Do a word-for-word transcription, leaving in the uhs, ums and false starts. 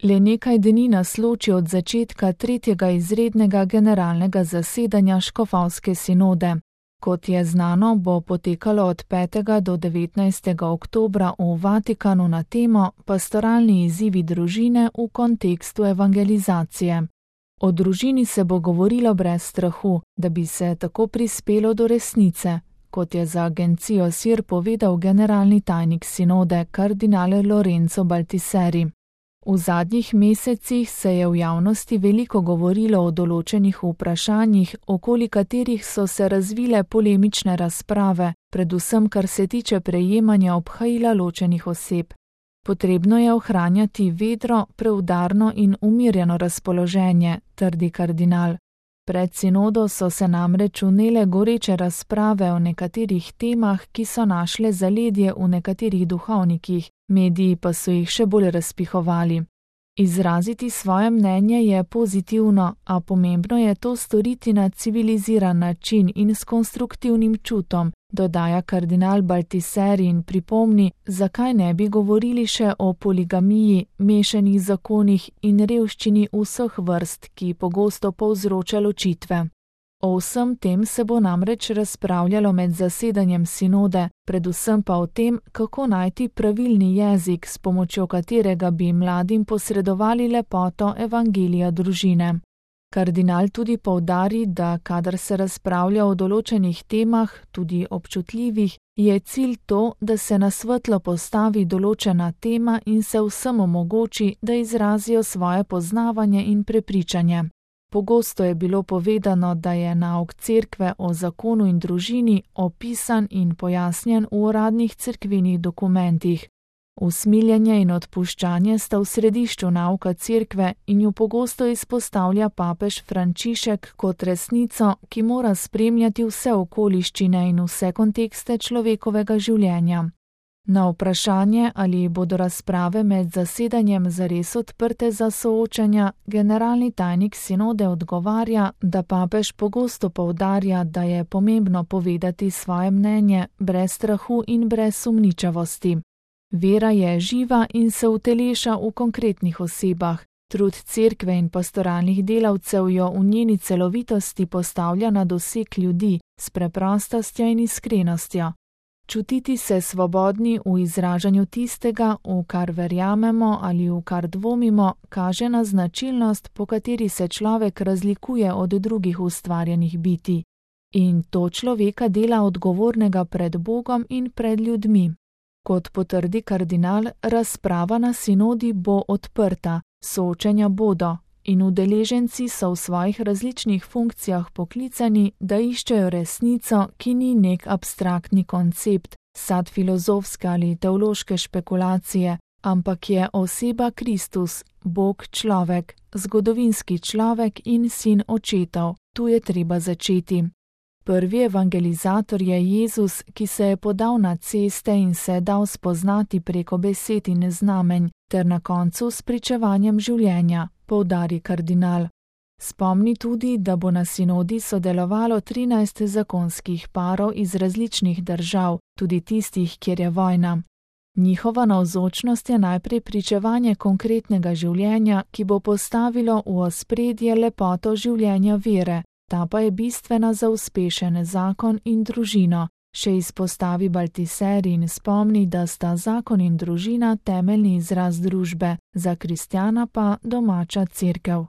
Le nekaj dni nas loči od začetka tretjega izrednega generalnega zasedanja škofovske sinode. Kot je znano, bo potekalo od petega do devetnajstega oktobra v Vatikanu na temo Pastoralni izzivi družine v kontekstu evangelizacije. O družini se bo govorilo brez strahu, da bi se tako prispelo do resnice, kot je za agencijo S I R povedal generalni tajnik sinode kardinal Lorenzo Baltiseri. V zadnjih mesecih se je v javnosti veliko govorilo o določenih vprašanjih, okoli katerih so se razvile polemične razprave, predvsem kar se tiče prejemanja obhajila ločenih oseb. Potrebno je ohranjati vedro, preudarno in umirjeno razpoloženje, trdi kardinal. Pred sinodo so se namreč vnele goreče razprave o nekaterih temah, ki so našle zaledje v nekaterih duhovnikih, mediji pa so jih še bolj razpihovali. Izraziti svoje mnenje je pozitivno, a pomembno je to storiti na civiliziran način in s konstruktivnim čutom, dodaja kardinal Baltiseri in pripomni, zakaj ne bi govorili še o poligamiji, mešanih zakonih in revščini vseh vrst, ki pogosto povzroča ločitve. O vsem tem se bo namreč razpravljalo med zasedanjem sinode, predvsem pa o tem, kako najti pravilni jezik, s pomočjo katerega bi mladim posredovali lepoto evangelija družine. Kardinal tudi poudari, da kadar se razpravlja o določenih temah, tudi občutljivih, je cilj to, da se na svetlo postavi določena tema in se vsem omogoči, da izrazijo svoje poznavanje in prepričanje. Pogosto je bilo povedano, da je nauk cerkve o zakonu in družini opisan in pojasnjen v uradnih cerkvenih dokumentih. Usmiljenje in odpuščanje sta v središču nauka cerkve in jo pogosto izpostavlja papež Frančišek kot resnico, ki mora spremljati vse okoliščine in vse kontekste človekovega življenja. Na vprašanje, ali bodo razprave med zasedanjem zares odprte za soočanja, generalni tajnik sinode odgovarja, da papež pogosto poudarja, da je pomembno povedati svoje mnenje brez strahu in brez sumničavosti. Vera je živa in se uteleša v konkretnih osebah. Trud cerkve in pastoralnih delavcev jo v njeni celovitosti postavlja na doseg ljudi s preprostostjo in iskrenostjo. Čutiti se svobodni v izražanju tistega, v kar verjamemo ali v kar dvomimo, kaže na značilnost, po kateri se človek razlikuje od drugih ustvarjenih bitij. In to človeka dela odgovornega pred Bogom in pred ljudmi. Kot potrdi kardinal, razprava na sinodi bo odprta, soočenja bodo in udeleženci so v svojih različnih funkcijah poklicani, da iščejo resnico, ki ni nek abstraktni koncept, sad filozofske ali teološke špekulacije, ampak je oseba Kristus, Bog človek, zgodovinski človek in sin očetov. Tu je treba začeti. Prvi evangelizator je Jezus, ki se je podal na ceste in se dal spoznati preko besed in znamenj, ter na koncu s pričevanjem življenja, poudari kardinal. Spomni tudi, da bo na sinodi sodelovalo trinajst zakonskih parov iz različnih držav, tudi tistih, kjer je vojna. Njihova navzočnost je najprej pričevanje konkretnega življenja, ki bo postavilo v ospredje lepoto življenja vere. Ta pa je bistvena za uspešen zakon in družino, še izpostavi Baltiseri in spomni, da sta zakon in družina temeljni izraz družbe, za kristjana pa domača cerkev.